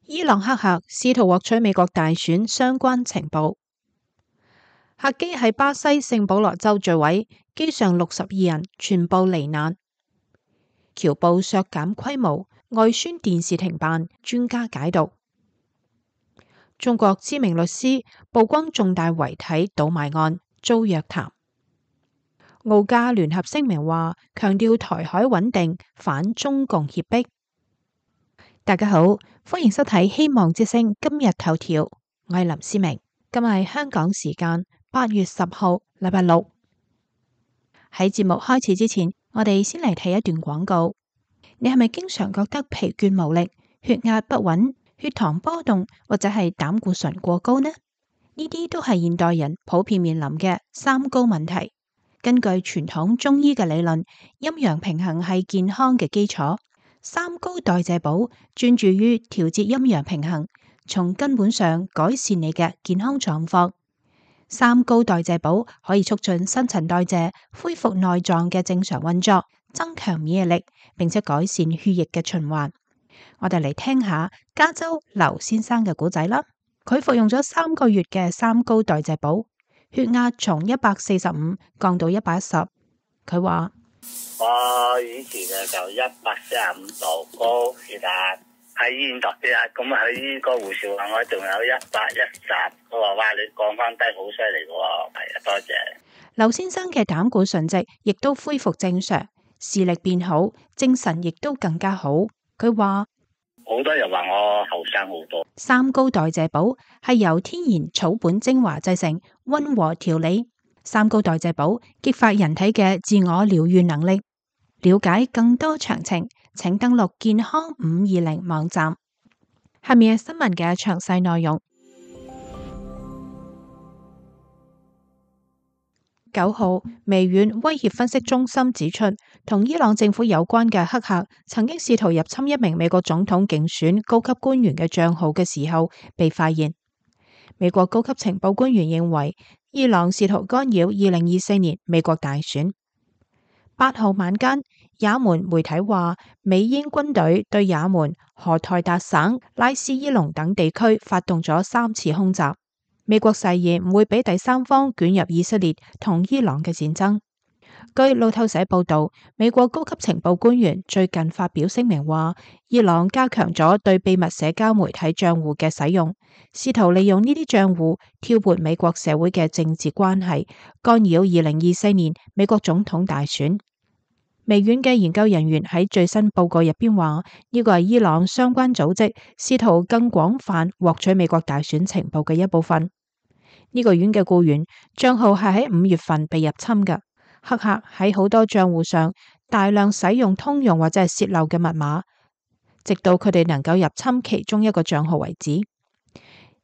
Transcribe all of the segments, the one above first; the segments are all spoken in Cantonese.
伊朗黑客試圖獲取美國大選相關情報。客機喺巴西聖保羅州墜毀，機上62人全部罹難。僑報削減規模，外宣電視停辦，專家解讀。中國知名律師曝光重大遺體倒賣案遭約談。澳加聯合聲明話，強調台海穩定，反中共脅迫。大家好，歡迎收睇希望之聲今日頭條，我係林思明。今日係香港時間8月10號，禮拜六。喺節目開始之前，我哋先嚟睇一段廣告。你係咪經常覺得疲倦無力、血壓不穩、血糖波動或者係膽固醇過高呢？呢啲都係現代人普遍面臨嘅三高問題。根據傳統中醫嘅理論，陰陽平衡係健康嘅基礎。三高代謝寶專注於調節陰陽平衡，從根本上改善你嘅健康狀況。三高代謝寶可以促進新陳代謝，恢復內臟嘅正常運作，增強免疫力，並且改善血液嘅循環。我哋嚟聽下加州劉先生嘅故仔啦。佢服用咗3個月嘅三高代謝寶，血壓從145降到110。佢話：我以前就145度高血壓，喺醫院度血壓，咁喺呢個護士話我仲有110，佢話哇，你降翻低好犀利喎，係啊，多謝。劉先生嘅膽固醇值亦都恢復正常，視力變好，精神亦都更加好。佢話好多人話我後生好多。三高代謝寶係由天然草本精華製成，溫和調理。三高代謝寶激發人體嘅自我療癒能力。了解更多詳情，請登錄健康520網站。下面係新聞嘅詳細內容。9號，微軟威脅分析中心指出，同伊朗政府有關嘅黑客曾經試圖入侵一名美國總統競選高級官員嘅賬號嘅時候被發現。美國高級情報官員認為，伊朗試圖干擾2024年美國大選。8號晚間，也門媒體話，美英軍隊對也門荷台達省拉斯伊龍等地區發動咗3次空襲。美國誓言唔會俾第三方捲入以色列同伊朗嘅戰爭。據路透社報道，美國高級情報官員最近發表聲明話，伊朗加強咗對秘密社交媒體賬戶嘅使用，試圖利用呢啲賬戶挑撥美國社會嘅政治關係，干擾2024年美國總統大選。微軟嘅研究人員喺最新報告入邊話，呢個係伊朗相關組織試圖更廣泛獲取美國大選情報嘅一部分。呢個院嘅僱員賬號係喺5月份被入侵嘅，黑客喺好多賬戶上大量使用通用或者係洩漏嘅密碼，直到佢哋能夠入侵其中一個賬號為止。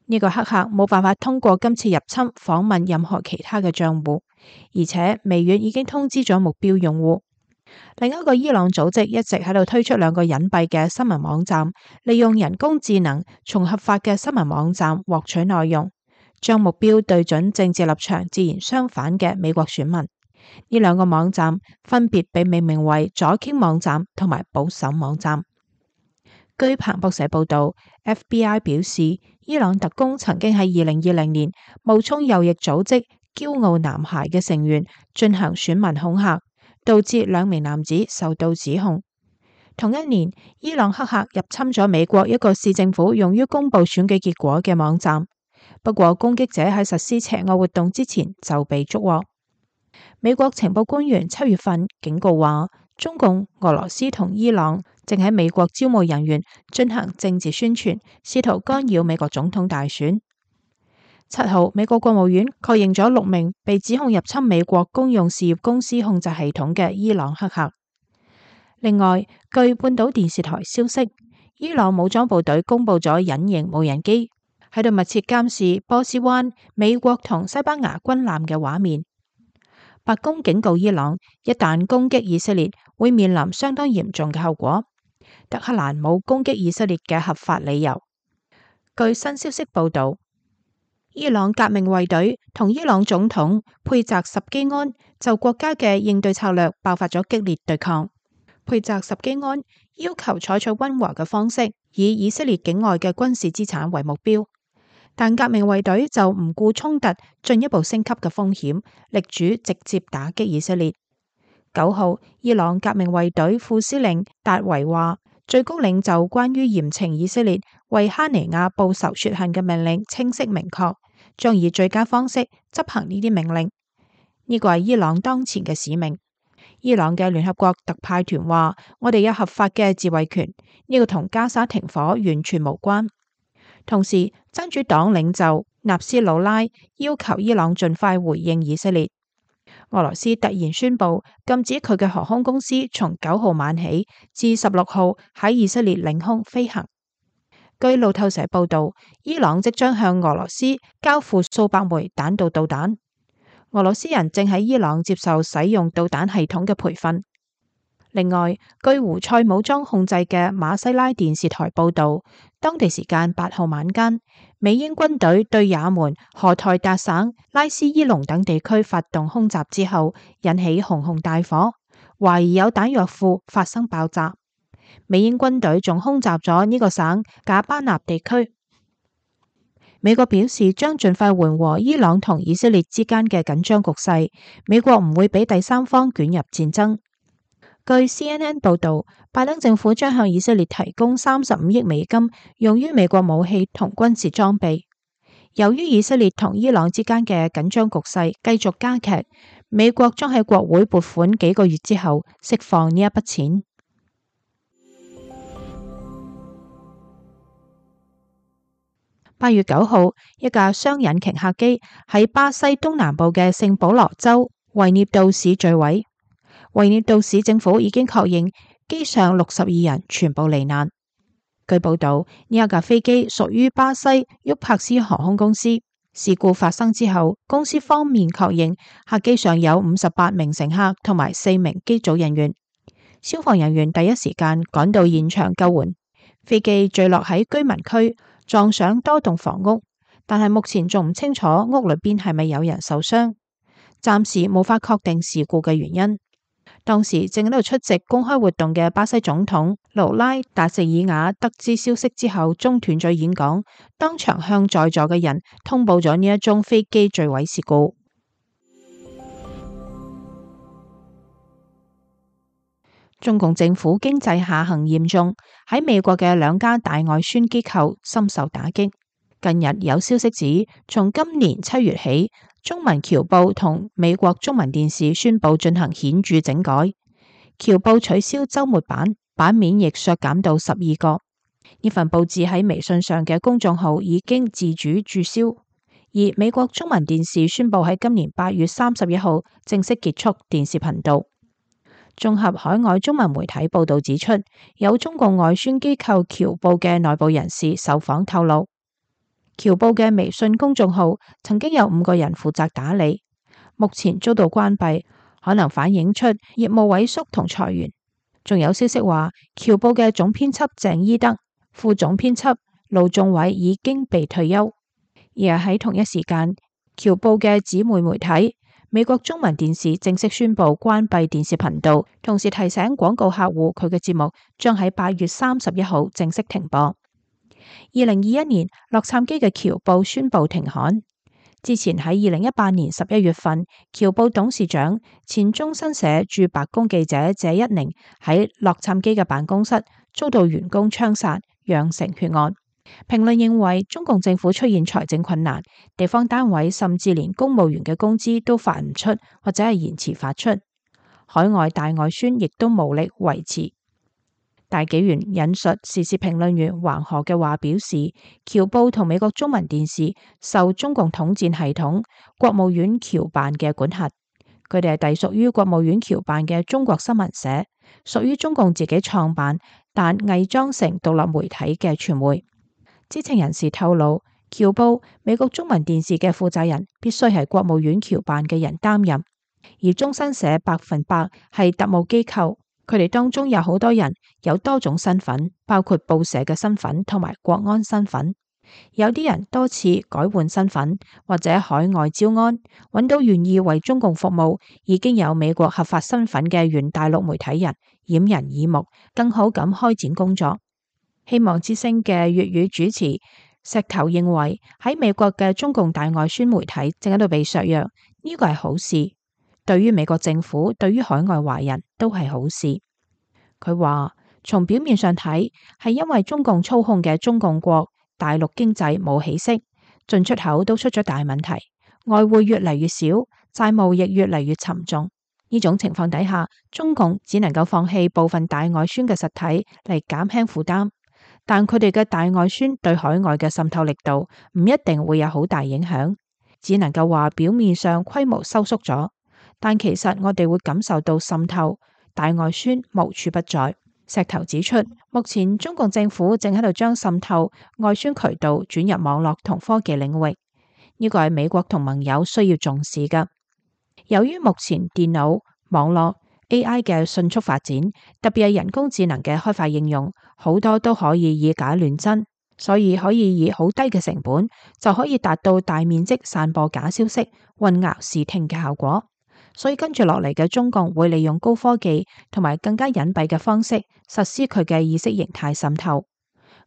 呢個黑客冇辦法通過今次入侵訪問任何其他嘅賬戶，而且微軟已經通知咗目標用戶。另一個伊朗組織一直喺度推出2個隱蔽嘅新聞網站，利用人工智能從合法嘅新聞網站獲取內容，將目標對準政治立場自然相反嘅美國選民。呢2個網站分別被命名為左傾網站同埋保守網站。據彭博社報道， FBI 表示，伊朗特工曾經喺2020年冒充右翼組織驕傲男孩嘅成員進行選民恐嚇，導致2名男子受到指控。同一年，伊朗黑客入侵咗美國一個市政府用於公布選舉結果嘅網站，不過攻擊者喺實施邪惡活動之前就被捉獲。美國情報官員7月份警告話，中共、俄羅斯同伊朗正喺美國招募人員進行政治宣傳，試圖干擾美國總統大選。7號，美國國務院確認咗6名被指控入侵美國公用事業公司控制系統嘅伊朗黑客。另外，據半島電視台消息，伊朗武裝部隊公布咗隱形無人機喺度密切監視波斯灣美國同西班牙軍艦嘅畫面。白宮警告伊朗，一旦攻擊以色列，會面臨相當嚴重嘅後果。德黑蘭冇攻擊以色列嘅合法理由。據新消息報道，伊朗革命衛隊同伊朗總統佩澤什基安就國家嘅應對策略爆發咗激烈對抗。佩澤什基安要求採取溫和嘅方式，以以色列境外嘅軍事資產為目標。但革命衛隊就唔顧衝突進一步升級嘅風險，力主直接打擊以色列。9號，伊朗革命衛隊副司令達維話，最高領袖關於嚴懲以色列為哈尼亞報仇雪恨嘅命令清晰明確，將以最佳方式執行呢啲命令。呢個係伊朗當前嘅使命。伊朗嘅聯合國特派團話，我哋有合法嘅自衛權，呢個同加沙停火完全無關。同時，真主黨領袖納斯魯拉要求伊朗盡快回應以色列。俄羅斯突然宣布禁止佢嘅航空公司從9號晚起至16號喺以色列領空飛行。據路透社報道，伊朗即將向俄羅斯交付數百枚彈道導彈。俄羅斯人正喺伊朗接受使用導彈系統嘅培訓。另外，據胡塞武裝控制嘅馬西拉電視台報道，當地時間8號晚間，美英軍隊對也門荷台達省拉斯伊隆等地區發動空襲之後，引起熊熊大火，懷疑有彈藥庫發生爆炸。美英軍隊仲空襲咗呢個省賈巴納地區。美國表示將盡快緩和伊朗同以色列之間嘅緊張局勢，美國唔會俾第三方捲入戰爭。據 CNN 報導，拜登政府將向以色列提供35億美金，用於美國武器同軍事裝備。由於以色列同伊朗之間嘅緊張局勢繼續加劇，美國將喺國會撥款幾個月之後釋放呢一筆錢。8月9號，一架雙引擎客機喺巴西東南部嘅聖保羅州維涅杜市墜毀。維涅杜市政府已經確認機上62人全部罹難。據報道，呢一架飛機屬於巴西沃柏斯航空公司。事故發生之後，公司方面確認客機上有58名乘客同埋4名機組人員。消防人員第一時間趕到現場救援。飛機墜落喺居民區，撞上多棟房屋，但係目前仲唔清楚屋裏邊係咪有人受傷，暫時無法確定事故嘅原因。當時正喺度出席公開活動嘅巴西總統盧拉達席爾瓦得知消息之後，中斷咗演講，當場向在座嘅人通報咗呢一宗飛機墜毀事故。中共政府經濟下行嚴重，喺美國嘅2家大外宣機構深受打擊。近日有消息指，從今年7月起，中文僑報同美國中文電視宣布進行顯著整改。僑報取消週末版，版面亦削減到12個。呢份報紙喺微信上嘅公眾號已經自主註銷。而美國中文電視宣布喺今年8月31號正式結束電視頻道。綜合海外中文媒體報道指出，有中共外宣機構僑報嘅內部人士受訪透露，僑報嘅微信公眾號曾經有5個人負責打理，目前遭到關閉，可能反映出業務萎縮同裁員。仲有消息話，僑報嘅總編輯鄭伊德、副總編輯盧仲偉已經被退休。而喺同一時間，僑報嘅姊妹媒體美國中文電視正式宣布關閉電視頻道，同時提醒廣告客戶佢嘅節目將喺8月31號正式停播。2021年，洛杉磯嘅僑報宣布停刊。之前喺2018年11月份，僑報董事長、前中新社駐白宮記者謝一寧喺洛杉磯嘅辦公室遭到員工槍殺，釀成血案。評論認為，中共政府出現財政困難，地方單位甚至連公務員嘅工資都發唔出，或者係延遲發出。海外大外宣亦都無力維持。大紀元引述時事評論員橫河嘅話表示，僑報同美國中文電視受中共統戰系統國務院僑辦嘅管轄，佢哋係隸屬於國務院僑辦嘅中國新聞社，屬於中共自己創辦但偽裝成獨立媒體嘅傳媒。知情人士透露，僑報、美國中文電視嘅負責人必須係國務院僑辦嘅人擔任，而中新社100%係特務機構，佢哋當中有好多人有多種身份，包括報社嘅身份同埋國安身份。有啲人多次改換身份或者海外招安，揾到願意為中共服務、已經有美國合法身份嘅原大陸媒體人，掩人耳目，更好咁開展工作。希望之聲嘅粵語主持石頭認為，喺美國嘅中共大外宣媒體正喺度被削弱，呢個係好事，對於美國政府，對於海外華人都係好事。佢話從表面上睇，係因為中共操控嘅中共國大陸經濟冇起色，進出口都出咗大問題，外匯越嚟越少，債務亦越嚟越沉重。呢種情況底下，中共只能夠放棄部分大外宣嘅實體嚟減輕負擔，但佢哋嘅大外宣對海外嘅滲透力度唔一定會有好大影響，只能夠話表面上規模收縮咗，但其實我哋會感受到滲透，大外宣無處不在。石頭指出，目前中共政府正喺度將滲透外宣渠道轉入網絡同科技領域，呢個係美國同盟友需要重視㗎。由於目前電腦、網絡、AI 嘅迅速發展，特別係人工智能嘅開發應用，好多都可以以假亂真，所以可以以好低嘅成本就可以達到大面積散播假消息、混淆視聽嘅效果。所以跟住落嚟嘅中共會利用高科技同埋更加隱蔽嘅方式實施佢嘅意識形態滲透。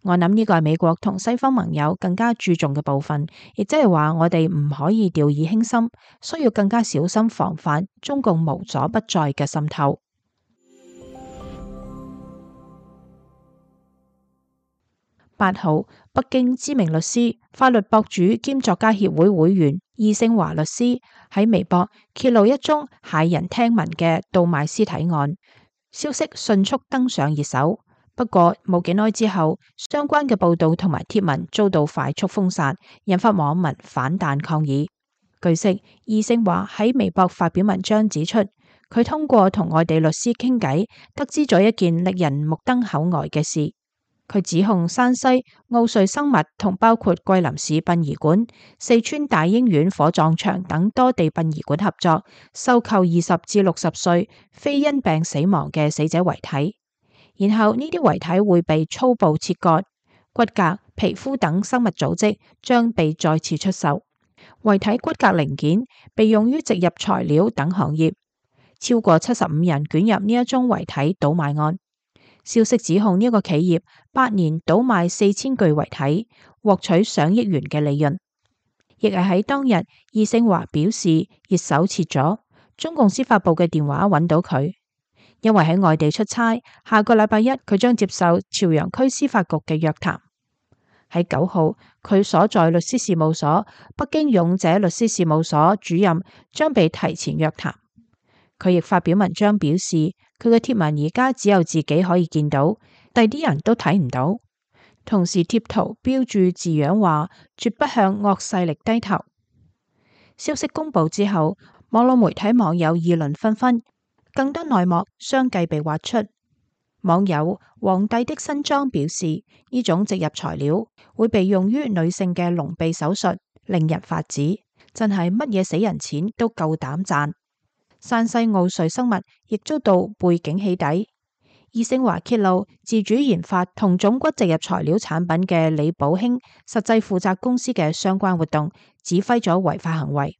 我諗呢個係美國同西方盟友更加注重嘅部分，亦即係話我哋唔可以掉以輕心，需要更加小心防範中共無所不在嘅滲透。8號，北京知名律師、法律博主兼作家協會會員易勝華律師喺微博揭露一宗駭人聽聞嘅倒賣屍體案，消息迅速登上熱搜。不過冇幾耐之後，相關嘅報道同埋貼文遭到快速封殺，引發網民反彈抗議。據悉，易勝華喺微博發表文章指出，佢通過同外地律師傾偈，得知咗一件令人目瞪口呆嘅事。佢指控山西奧瑞生物同包括桂林市殯儀館、四川大英院火葬場等多地殯儀館合作，收購20至60歲非因病死亡嘅死者遺體，然後呢啲遺體會被粗暴切割，骨骼、皮膚等生物組織將被再次出售，遺體骨骼零件被用於植入材料等行業，超過75人捲入呢一宗遺體倒賣案。消息指控呢個企業8年倒賣4000具遺體，獲取上億元嘅利潤。亦係喺當日，易勝華表示熱搜切咗，中共司法部嘅電話揾到佢，因為喺外地出差，下個禮拜一佢將接受朝陽區司法局嘅約談。喺9號，佢所在律師事務所北京勇者律師事務所主任將被提前約談。佢亦發表文章表示，佢嘅貼文而家只有自己可以見到，第啲人都睇唔到。同時貼圖標注字樣話，絕不向惡勢力低頭。消息公布之後，網絡媒體網友議論紛紛，更多內幕相繼被挖出。網友皇帝的新裝表示，呢種植入材料會被用於女性嘅隆鼻手術，令人髮指，真係乜嘢死人錢都夠膽賺。山西奧瑞生物亦遭到背景起底。易勝華揭露自主研發同種骨植入材料產品嘅李寶興實際負責公司嘅相關活動，指揮咗違法行為。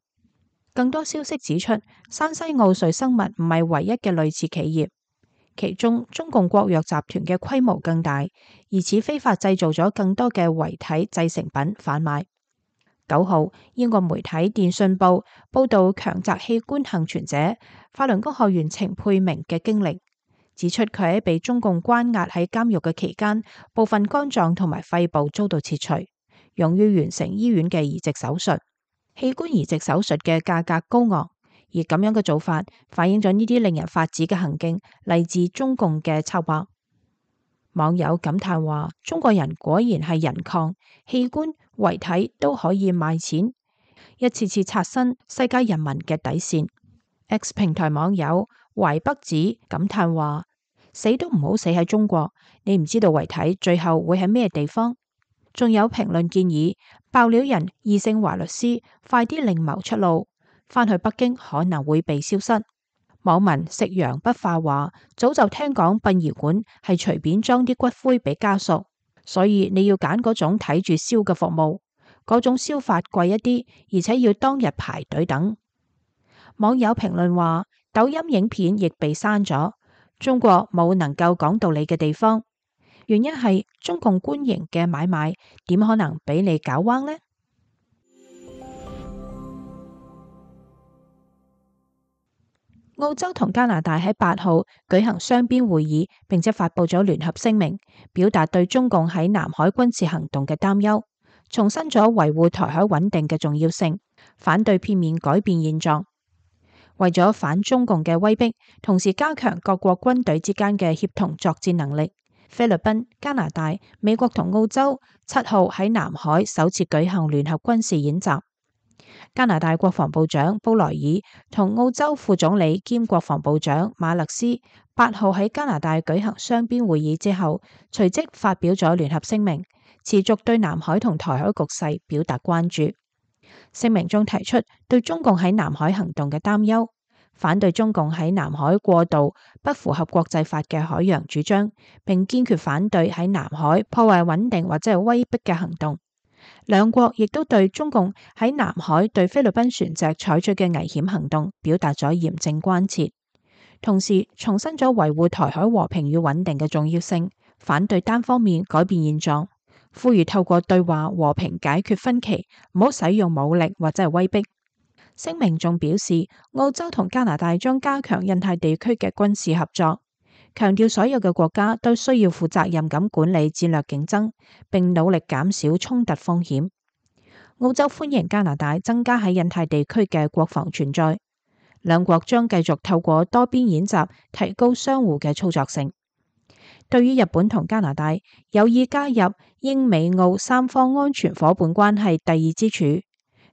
更多消息指出，山西奧瑞生物唔係唯一嘅類似企業，其中中共國藥集團嘅規模更大，而此非法製造咗更多嘅遺體製成品販賣。9號，英國媒體電訊報報道強摘器官幸存者法輪功學員程佩明嘅經歷，指出佢喺被中共關押喺監獄嘅期間，部分肝臟同埋肺部遭到切除，用於完成醫院嘅移植手術。器官移植手術嘅價格高昂，而咁樣嘅做法反映咗呢啲令人髮指嘅行徑嚟自中共嘅策劃。網友感嘆話：中國人果然係人礦，器官遺體都可以賣錢，一次次刷新世界人民嘅底線。X 平台網友淮北子感嘆話：死都唔好死喺中國，你唔知道遺體最後會喺咩地方。仲有評論建議爆料人易勝華律師快啲另謀出路，返去北京可能會被消失。網民食羊不化話：早就聽講殯儀館係隨便裝啲骨灰俾家屬，所以你要揀嗰種睇住燒嘅服務，嗰種燒法貴一啲，而且要當日排隊等。網友評論話，抖音影片亦被刪咗，中國冇能夠講道理嘅地方，原因係中共官營嘅買賣點可能俾你搞彎呢？澳洲同加拿大喺8號舉行雙邊會議，並且發佈咗聯合聲明，表達對中共喺南海軍事行動嘅擔憂，重申咗維護台海穩定嘅重要性，反對片面改變現狀。為咗反中共嘅威逼，同時加強各國軍隊之間嘅協同作戰能力，菲律賓、加拿大、美國同澳洲7號喺南海首次舉行聯合軍事演習。加拿大國防部長布萊爾同澳洲副總理兼國防部長馬勒斯8號喺加拿大舉行雙邊會議之後，隨即發表咗聯合聲明，持續對南海同台海局勢表達關注。聲明中提出對中共喺南海行動嘅擔憂，反對中共喺南海過度不符合國際法嘅海洋主張，並堅決反對喺南海破壞穩定或者係威逼嘅行動。兩國亦都對中共喺南海對菲律賓船隻採取嘅危險行動表達咗嚴正關切，同時重申咗維護台海和平與穩定嘅重要性，反對單方面改變現狀，呼籲透過對話和平解決分歧，唔好使用武力或者係威逼。聲明仲表示，澳洲同加拿大將加強印太地區嘅軍事合作，強調所有嘅國家都需要負責任咁管理戰略競爭，並努力減少衝突風險。澳洲歡迎加拿大增加喺印太地區嘅國防存在，兩國將繼續透過多邊演習提高相互嘅操作性。對於日本同加拿大有意加入英美澳三方安全夥伴關係第二支柱，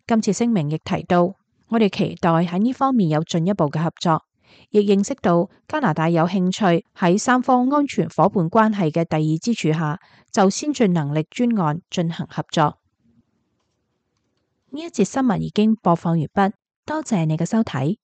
今次聲明亦提到，我哋期待喺呢方面有進一步嘅合作，亦認識到加拿大有興趣喺三方安全夥伴關係嘅第二支柱下，就先進能力專案進行合作。呢一節新聞已經播放完畢，多謝你嘅收睇。